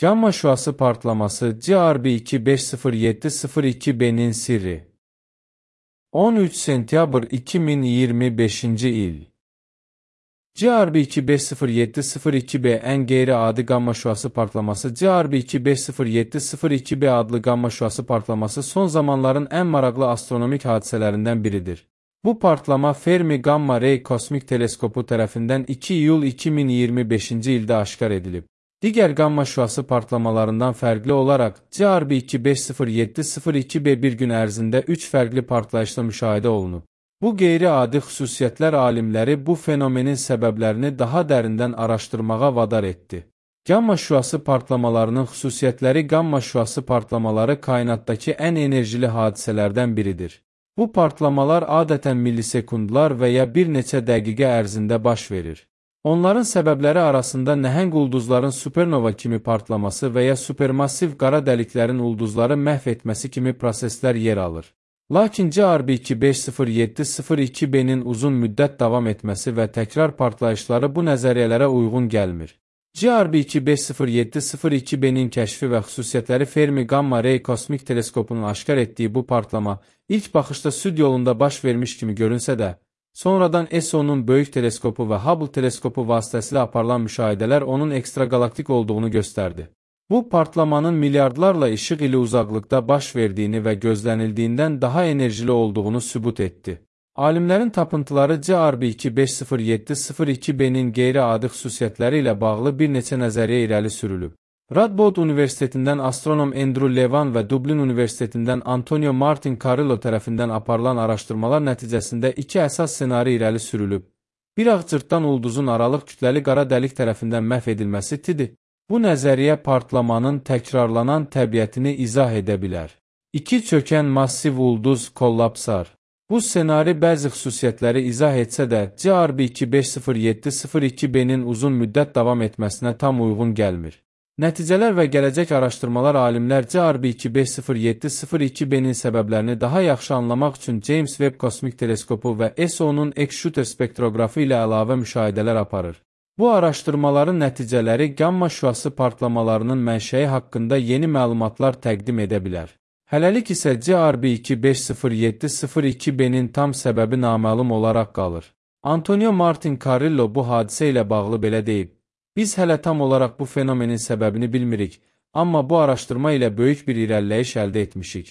Gamma şüası partlaması GRB2507002B'nin sirri. 13 sentyabr 2025-ci il. GRB2507002B ən qeyri-adi qamma şüası partlaması GRB2507002B adlı qamma şüası partlaması son zamanların ən maraqlı astronomik hadisələrindən biridir. Bu partlama Fermi Gamma Ray Kosmik Teleskopu tərəfindən 2 iyul 2025-ci ildə aşkar edilib. Digər qamma şüası partlamalarından fərqli olaraq, GRB2507002B bir gün ərzində 3 fərqli partlayışla müşahidə olunub. Bu qeyri-adi xüsusiyyətlər alimləri bu fenomenin səbəblərini daha dərindən araşdırmağa vadar etdi. Gamma şüası partlamalarının xüsusiyyətləri Gamma şüası partlamaları kainatdakı ən enerjili hadisələrdən biridir. Bu partlamalar adətən millisekundlar və ya bir neçə dəqiqə ərzində baş verir. Onların səbəbləri arasında nəhəng ulduzların supernova kimi partlaması və ya supermassiv qara dəliklərin ulduzları məhv etməsi kimi proseslər yer alır. Lakin GRB2507002B'nin uzun müddət davam etməsi və təkrar partlayışları bu nəzəriyyələrə uyğun gəlmir. GRB2507002B'nin kəşfi və xüsusiyyətləri Fermi Gamma Ray Kosmik Teleskopunun aşkar etdiyi bu partlama ilk baxışda süd yolunda baş vermiş kimi görünsə də, sonradan ESO'nun böyük teleskopu və Hubble teleskopu vasitəsilə aparılan müşahidələr onun ekstraqalaktik olduğunu göstərdi. Bu partlamanın milyardlarla işıq ili uzaqlıqda baş verdiyini və gözlənildiyindən daha enerjili olduğunu sübut etdi. Alimlərin tapıntıları GRB2507002B'nin qeyri-adi xüsusiyyətləri ilə bağlı bir neçə nəzəriyyə irəli sürülüb. Radboud Universitetindən astronom Andrew Levan və Dublin Universitetindən Antonio Martin Carrillo tərəfindən aparılan araşdırmalar nəticəsində iki əsas ssenari irəli sürülüb. Bir ağ cırtdan ulduzun aralıq kütləli qara dəlik tərəfindən məhv edilməsi TIDI. Bu nəzəriyyə partlamanın təkrarlanan təbiətini izah edə bilər. İki çökən massiv ulduz kollapsar. Bu ssenari bəzi xüsusiyyətləri izah etsə də, GRB2507002B'nin uzun müddət davam etməsinə tam uyğun gəlmir. Nəticələr və gələcək araşdırmalar alimlər GRB2507002B'nin səbəblərini daha yaxşı anlamaq üçün James Webb Kosmik Teleskopu və ESO'nun X-shooter spektroqrafı ilə əlavə müşahidələr aparır. Bu araşdırmaların nəticələri gamma şüası partlamalarının mənşəyi haqqında yeni məlumatlar təqdim edə bilər. Hələlik isə GRB2507002B'nin tam səbəbi naməlum olaraq qalır. Antonio Martin Carrillo bu hadisə ilə bağlı belə deyib: "Biz hələ tam olaraq bu fenomenin səbəbini bilmirik, amma bu araşdırma ilə böyük bir irəliləyiş əldə etmişik."